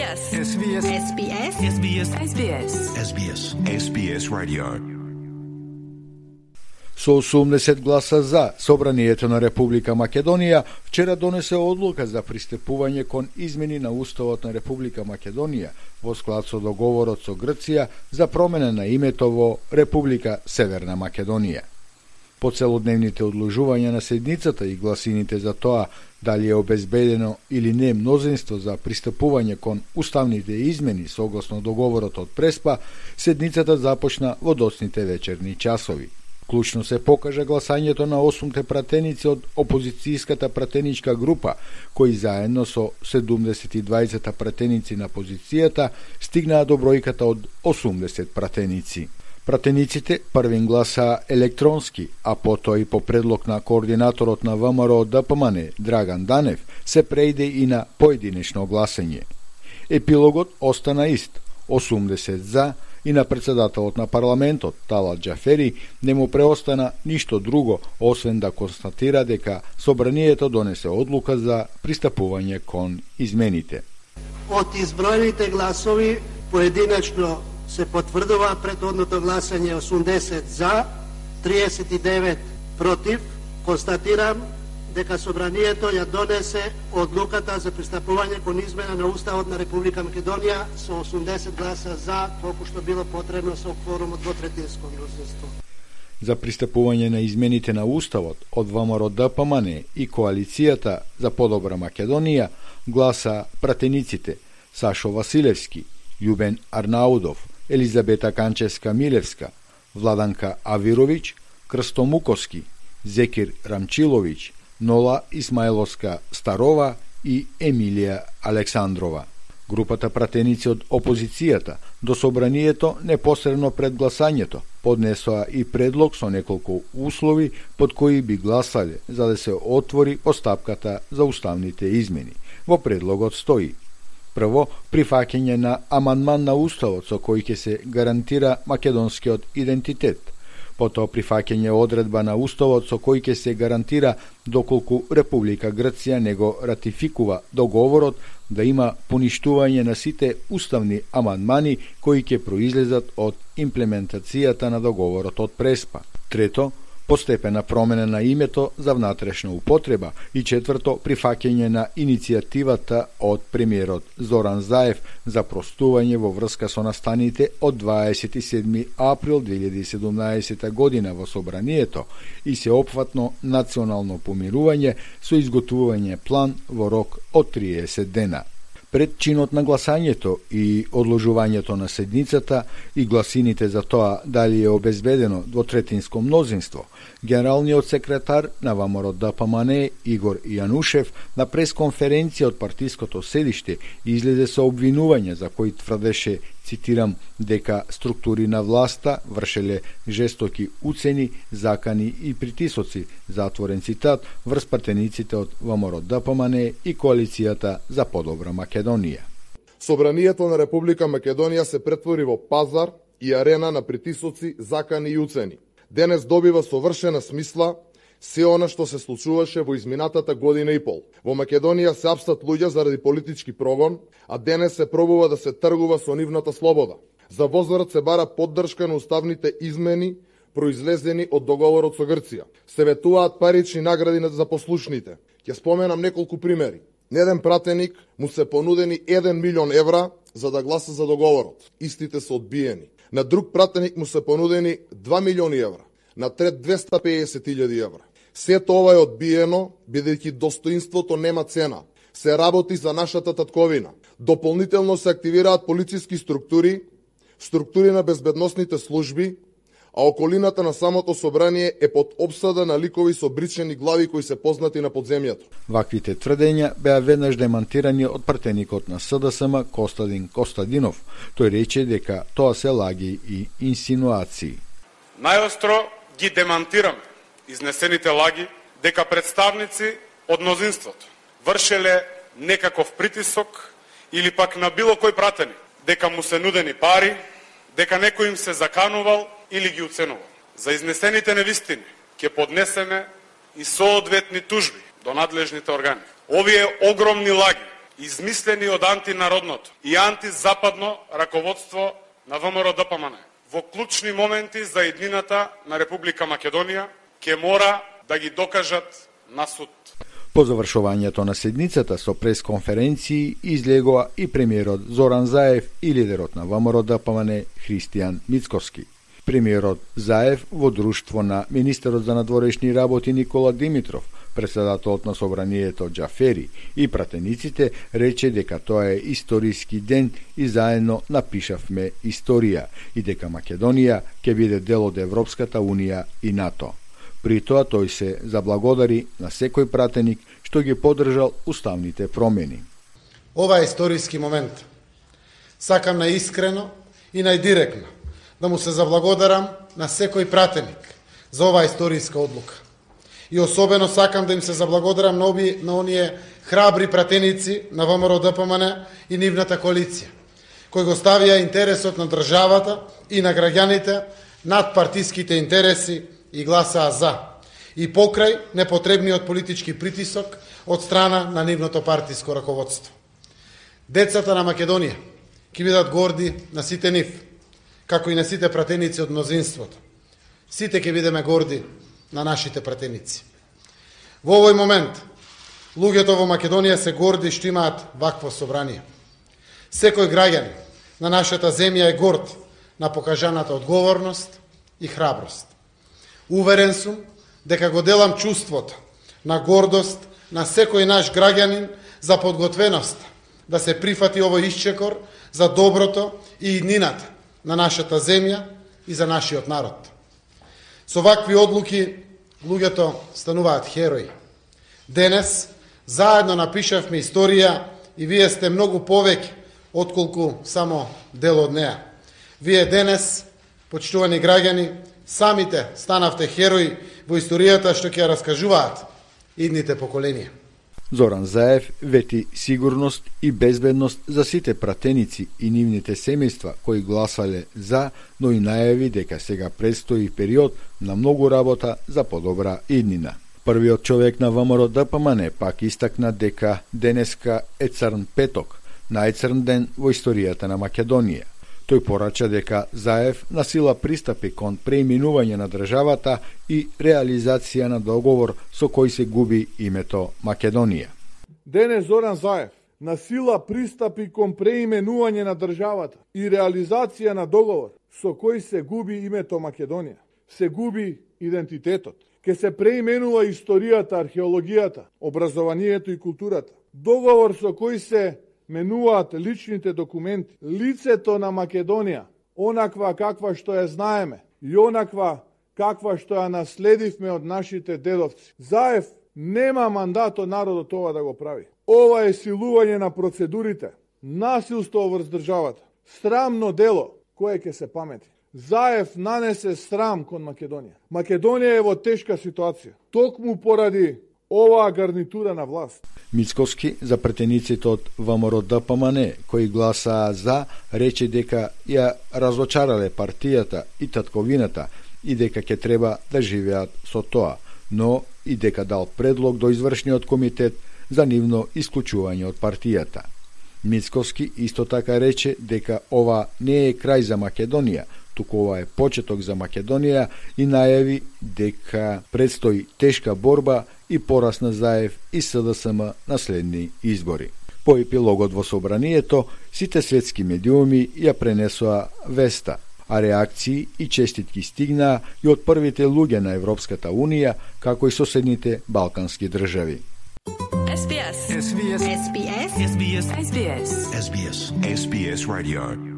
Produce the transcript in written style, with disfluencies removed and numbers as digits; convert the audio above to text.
SBS. SBS. SBS. SBS. SBS. SBS. SBS Radio. Со 80 гласа за, Собранието на Република Македонија вчера донесе одлука за пристапување кон измени на Уставот на Република Македонија во склад со договорот со Грција за промена на името во Република Северна Македонија. По целодневните одложувања на седницата и гласините за тоа дали е обезбедено или не мнозинство за пристапување кон уставните измени согласно договорот од Преспа, седницата започна во доцните вечерни часови. Клучно се покажа гласањето на 8 пратеници од опозицијската пратеничка група, кои заедно со 72 пратеници на позицијата стигнаа до бројката од 80 пратеници. Пратениците првин гласаа електронски, а потоа и по предлог на координаторот на ВМРО ДПМН Драган Данев се преиде и на поединечно гласање. Епилогот остана ист, 80 за, и на председателот на парламентот Талат Џафери не му преостана ништо друго освен да констатира дека Собранието донесе одлука за пристапување кон измените. Од изброените гласови поединечно се потврдува претходното гласање 80 за, 39 против. Констатирам дека Собранието ја донесе одлуката за пристапување кон измена на Уставот на Република Македонија со 80 гласа за, колку што било потребно со кворум од двотретинско мнозинство. За пристапување на измените на Уставот од ВМРО ДПМН и Коалицијата за подобра Македонија гласа пратениците Сашо Василевски, Љубен Арнаудов, Елизабета Канчевска-Милевска, Владанка Авировиќ, Крсто Муковски, Зекир Рамчиловиќ, Нола Исмаиловска Старова и Емилија Александрова. Групата пратеници од опозицијата до Собранието непосредно пред гласањето поднесоа и предлог со неколку услови под кои би гласале за да се отвори постапката за уставните измени. Во предлогот стои: прво, прифаќање на амандман на Уставот со кој ќе се гарантира македонскиот идентитет. Потоа прифаќање одредба на Уставот со кој ќе се гарантира доколку Република Грција не го ратификува договорот да има поништување на сите уставни амандмани кои ќе произлезат од имплементацијата на договорот од Преспа. Трето, постепена промена на името за внатрешна употреба и четврто, прифаќање на иницијативата од премиерот Зоран Заев за простување во врска со настаните од 27 април 2017 година во Собранието и сеопфатно национално помирување со изготвување план во рок од 30 дена. Пред чинот на гласањето и одложувањето на седницата и гласините за тоа дали е обезбедено двотретинско мнозинство, генералниот секретар на ВМРО ДПМН Игор Јанушев на пресконференција од партиското седиште излезе со обвинување за кои тврдеше, цитирам, дека структури на власта вршеле жестоки уцени, закани и притисоци, затворен цитат, врз пратениците од ВМРО ДПМН и Коалицијата за подобра Македонија. Собранието на Република Македонија се претвори во пазар и арена на притисоци, закани и уцени. Денес добива совршена смисла се она што се случуваше во изминатата година и пол. Во Македонија се апстат луѓе заради политички прогон, а денес се пробува да се тргува со нивната слобода. За возврат се бара поддршка на уставните измени произлезени од договорот со Грција. Се ветуваат парични награди за послушните. Ќе споменам неколку примери. На еден пратеник му се понудени 1 милион евра за да гласа за договорот. Истите се одбиени. На друг пратеник му се понудени 2 милиони евра. На трет 250.000 евра. Сето ова е одбиено, бидејќи достоинството нема цена. Се работи за нашата татковина. Дополнително се активираат полициски структури, структури на безбедносните служби, а околината на самото собрание е под обсада на ликови со бричени глави кои се познати на подземјето. Ваквите тврдења беа веднаш демантирани од пратеникот на СДСМ Костадин Костадинов. Тој рече дека тоа се лаги и инсинуации. Најостро ги демантираме изнесените лаги дека представници од мнозинството вршеле некаков притисок или пак на било кој пратеник, дека му се нудени пари, дека некој им се заканувал или ги уценувал. За изнесените невистини ќе поднесеме и соодветни тужби до надлежните органи. Овие огромни лаги измислени од антинародното и антизападно раководство на ВМРО-ДПМН во клучни моменти за еднината на Република Македонија ќе мора да ги докажат на суд. По завршувањето на седницата со пресконференции излегоа и премиерот Зоран Заев и лидерот на ВМРО-ДПМН Христијан Мицковски. Премиерот Заев во друштво на министерот за надворешни работи Никола Димитров, председателот на собранието Џафери и пратениците рече дека тоа е историски ден и заедно напишавме историја и дека Македонија ќе биде дел од Европската Унија и НАТО. При тоа тој се заблагодари на секој пратеник што ги поддржал уставните промени. Ова е историски момент. Сакам наискрено и најдиректно да му се заблагодарам на секој пратеник за оваа историска одлука. И особено сакам да им се заблагодарам на оние храбри пратеници на ВМРО-ДПМН и нивната коалиција, кои го ставија интересот на државата и на граѓаните над партиските интереси и гласаа за, и покрај непотребниот политички притисок од страна на нивното партиско раководство. Децата на Македонија ќе бидат горди на сите нив, како и на сите пратеници од мнозинството. Сите ќе бидеме горди на нашите пратеници. Во овој момент, луѓето во Македонија се горди што имаат вакво собрание. Секој граѓанин на нашата земја е горд на покажаната одговорност и храброст. Уверен сум дека го делам чувството на гордост на секој наш граѓанин за подготвеност да се прифати овој исчекор за доброто и иднината на нашата земја и за нашиот народ. Со вакви одлуки луѓето стануваат херои. Денес заедно напишавме историја и вие сте многу повеќе отколку само дел од неа. Вие денес, почитувани граѓани, самите станавте херои во историјата што ќе раскажуваат идните поколенија. Зоран Заев вети сигурност и безбедност за сите пратеници и нивните семејства кои гласале за, но и најави дека сега предстои период на многу работа за подобра иднина. Првиот човек на ВМРО-ДПМН пак истакна дека денеска е црн петок, најцрн ден во историјата на Македонија. Тој порача дека Заев насила пристапи кон преименување на државата и реализација на договор со кој се губи името Македонија. Денес Зоран Заев насила пристапи кон преименување на државата и реализација на договор со кој се губи името Македонија. Се губи идентитетот. Ке се преименува историјата, археологијата, образованието и културата. Договор со кој се менуваат личните документи, лицето на Македонија, онаква каква што ја знаеме и онаква каква што ја наследивме од нашите дедовци. Заев нема мандат од народот ова да го прави. Ова е силување на процедурите, насилство врз државата, срамно дело кое ќе се памети. Заев нанесе срам кон Македонија. Македонија е во тешка ситуација, токму поради оваа гарнитура на власт. Мицковски за претениците од ВМРО-ДПМН кои гласаа за, рече дека ја разочарале партијата и татковината и дека ќе треба да живеат со тоа, но и дека дал предлог до извршниот комитет за нивно исклучување од партијата. Мицковски исто така рече дека ова не е крај за Македонија, туку ова е почеток за Македонија и најави дека предстои тешка борба и порас на Заев и СДСМ на следни избори. По епилогот во собранието, сите светски медиуми ја пренесоа веста, а реакции и честитки стигнаа и од првите луѓе на Европската Унија, како и соседните балкански држави. SBS Radio